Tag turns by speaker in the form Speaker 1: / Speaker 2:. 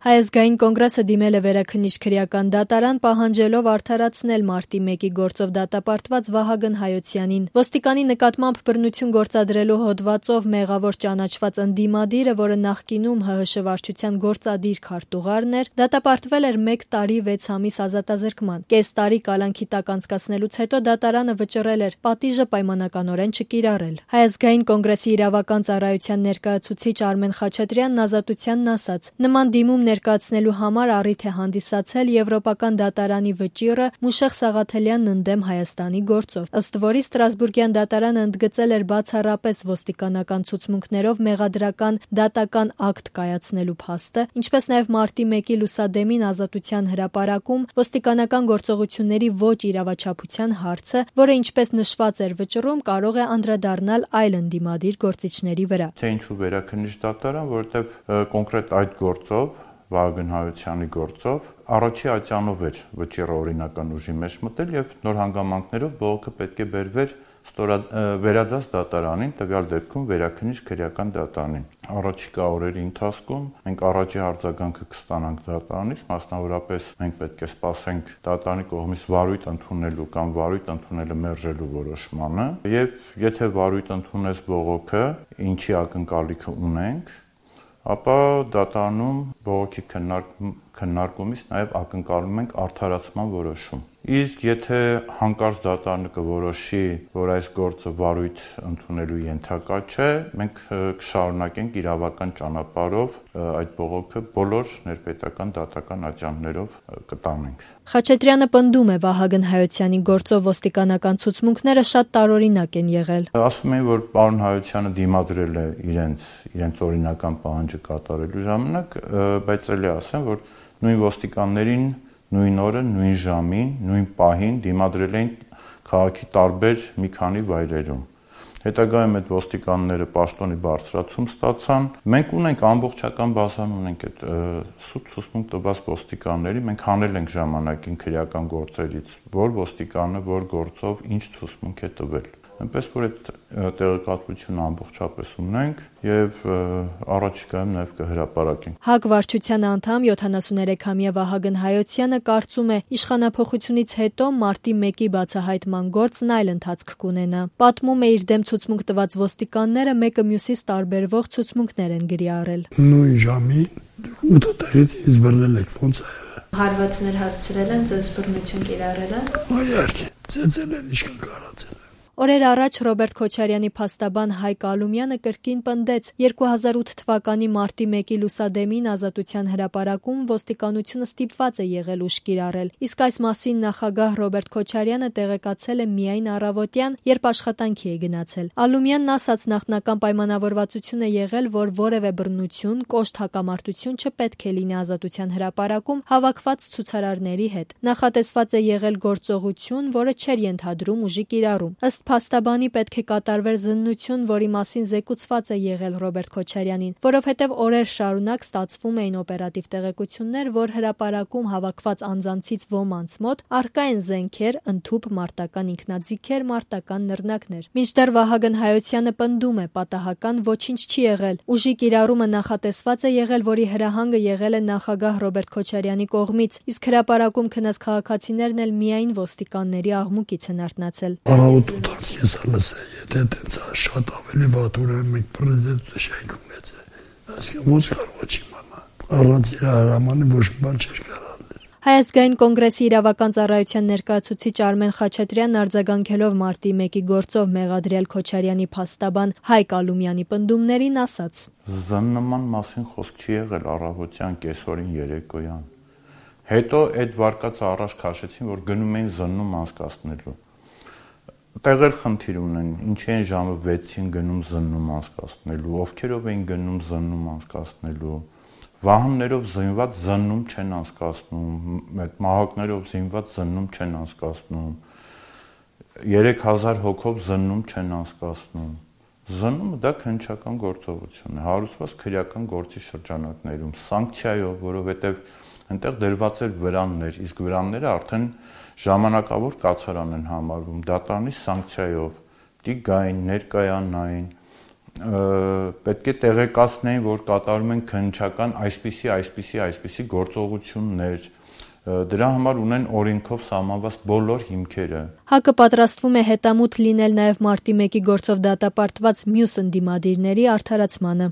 Speaker 1: Հայ ազգային կոնգրեսը դիմել է Վերաքննիչ քրեական դատարան, պահանջելով արդարացնել մարտի 1-ի գործով դատապարտված Վահագն Հայոցյանին։ Ոստիկանի նկատմամբ բռնություն գործադրելու հոդվածով մեղավոր ճանաչված ընդդիմադիրը, որը նախկինում ՀՀՇ վարչության գործադիր քարտուղարն էր, դատապարտվել էր 1 տարի 6 ամիս ազատազրկման։ Կես տարի կալանքի տակ անցկացնելուց հետո դատարանը վճռել էր պատիժը պայմանականորեն չկիրառել։ Հայ ազգային կոնգրեսի իրավական ծառայության ներկայացուցիչ Արմեն Խաչատրյանն ազատությանն ասաց. նման դիմում ներկայացնելու համար առիթ է հանդիսացել Եվրոպական դատարանի վճիռը Մուշեղ Սաղաթելյանն ընդդեմ Հայաստանի գործով, ըստ որի Ստրասբուրգյան դատարանը ընդգծել էր բացառապես ոստիկանական ցուցմունքներով մեղադրական դատական ակտ կայացնելու փաստը, ինչպես նաև մարտի 1-ի լուսադեմին ազատության հրապարակում ոստիկանական գործողությունների ոչ իրավաչափության հարցը, որը ինչպես նշված էր վճռում, կարող է անդրադառնալ այլ ընդդիմադիր գործիչների վրա։
Speaker 2: Թե ինչու Վերաքննիչ դատարան, որովհետև կոնկրետ այդ գործով Վահագն Հայոցյանի գործով առաջի ատյանով էր վճիռը օրինական ուժի մեջ մտել եւ նոր հանգամանքներով բողոքը պետք է բերվեր վերադաս դատարանին, տվյալ դեպքում Վերաքննիչ քրեական դատարանին։ Առաջիկա օրերի ընթացքում մենք առաջի արձագանքը կստանանք դատարանից, մասնավորապես մենք պետք է սպասենք դատարանի կողմից վարույթ ընդունելու կամ վարույթ ընդունելը մերժելու որոշմանը, եւ եթե վարույթ ընդունես բողոքը, ինչի ակնկալիքը ունենք, ապա դատարանում բողոքի քննարկումից նաև ակնկալում ենք արդարացման որոշում։ Իսկ եթե հանկարծ դատարանը կորոշի, որ այս գործը վարույթ ընդունելու ենթակա չէ, մենք կշարունակենք իրավական ճանապարհով այդ բողոքը բոլոր ներպետական դատական ատյաններով կտանենք։
Speaker 1: Խաչատրյանը պնդում է Վահագն Հայոցյանի գործով ոստիկանական ցուցմունքները շատ տարօրինակ են եղել։
Speaker 2: Ասում են, որ պարոն Հայոցյանը դիմադրել է իրենց օրինական պահանջը կատարելու ժամանակ, բայց ելի ասեմ, որ նույն ոստիկաններին նույն օրը, նույն ժամին, նույն պահին դիմադրել էին քաղաքի տարբեր մի քանի վայրերում։ Հետագայում այդ ոստիկանները պաշտոնի բարձրացում ստացան։ Մենք ունենք ամբողջական բազան ունենք այդ սուտ ցուցմունք տված ոստիկանների, մենք հանել ենք ժամանակին քրեական գործերից, որ ոստիկանը որ գործով ինչ ցուցմունք է տվել։ Այնպես որ այդ տեղեկատվությունը ամբողջապես ունենք եւ առաջիկայում նաեւ կհրապարակենք։
Speaker 1: ՀԱԿ վարչության անդամ 73-ամյա Վահագն Հայոցյանը կարծում է, իշխանափոխությունից հետո մարտի 1-ի բացահայտման գործն այլ ընթացք կունենա։ Պատմում է, իր դեմ ցուցմունք տված ոստիկանները մեկը մյուսից տարբերվող ցուցմունքներ են գրի առել։
Speaker 3: Նույն ժամին 8 տարից ինձ բռնել եք ոնց է։
Speaker 1: Հարվածներ հասցրել են, ձեզ բռնություն կիրառել են։
Speaker 3: Այո, ծեծել են ինչքան կարացել։
Speaker 1: Օրեր առաջ Ռոբերտ Քոչարյանի փաստաբան Հայկ Ալումյանը կրկին պնդեց 2008 թվականի մարտի 1-ի լուսադեմին ազատության հրապարակում ոստիկանությունը ստիպված է եղել ուժ կիրառել, իսկ այս մասին նախագահ Ռոբերտ Քոչարյանը տեղեկացել է միայն առավոտյան, երբ աշխատանքի է գնացել։ Ալումյանն ասաց, նախնական պայմանավորվածություն է եղել, որ որևէ բռնություն, կոշտ հակամարտություն չպետք է լինի ազատության հրապարակում հավաքված ցուցարարների հետ։ Նախատեսված է եղել գործողություն, որը չէր ենթադրում ուժի կիրառում։ Ըստ փաստաբանի պետք է կատարվեր զննություն, որի մասին զեկուցված է եղել Ռոբերտ Քոչարյանին, որովհետև օրեր շարունակ ստացվում էին օպերատիվ տեղեկություններ, որ հրապարակում հավաքված անձանցից ոմանց մոտ առկա են զենքեր, ընդհուպ մարտական ինքնաձիգեր, մարտական նռնակներ։ Մինչդեռ Վահագն Հայոցյանը պնդում է, պատահական ոչինչ չի եղել։ Ուժի կիրառումը նախատեսված է եղել, որի հրահանգը եղել է նախագահ Ռոբերտ Քոչարյանի կողմից, իսկ հրապարակում քնած քաղաքացիներն էլ միայն ոստիկանների աղմուկից են արթնացել։
Speaker 3: Ես լսել, եթե դից շատ ավելի վատ ուրեմն մենք պրեզիդենտը շայքում մեծ է։ Այսինքն ոչ կարող չի մամա։ Առանց իր հրամանի ոչ մի բան չէր կարողանել։
Speaker 1: Հայ ազգային կոնգրեսի իրավական ծառայության ներկայացուցիչ Արմեն Խաչատրյանն արձագանքելով մարտի 1-ի գործով մեղադրյալ Քոչարյանի փաստաբան Հայկ Ալումյանի պնդումներին ասաց.
Speaker 2: Զննման մասին խոսք չի եղել առավոտյան, կեսօրին, երեկոյան։ Հետո այդ վարկածը առաջ քաշեցին, որ գնում էին զննում անցկացնելու։ Տեղեր խնդիր ունեն, ինչի են ժամը 6-ին գնում զննում անցկացնելու, ովքերով էին գնում զննում անցկացնելու, վահաններով զինված զննում չեն անցկացնում, այդ մահակներով զինված զննում չեն անցկացնում, 3000 հոգով զննում չեն անցկացնում։ Զննումը դա քննչական գործողություն է, հարուցված քրեական գործի շրջանակներում, սանկցիայով, որովհետև այնտեղ դրված էր վրաններ, իսկ վրանները արդեն ժամանակավոր կացարան են համարվում, դատարանի սանկցիայով, դի գային, ներկայանային, պետք է տեղեկացնեին, որ կատարում են քննչական այսպիսի գործողություններ, դրա համար ունեն օրենքով սահմանված բոլոր հիմքերը։
Speaker 1: ՀԱԿ-ը պատրաստվում է հետամուտ լինել նաև մարտի 1-ի գործով դատապարտված մյուս ընդդիմադիրների արդարացմանը։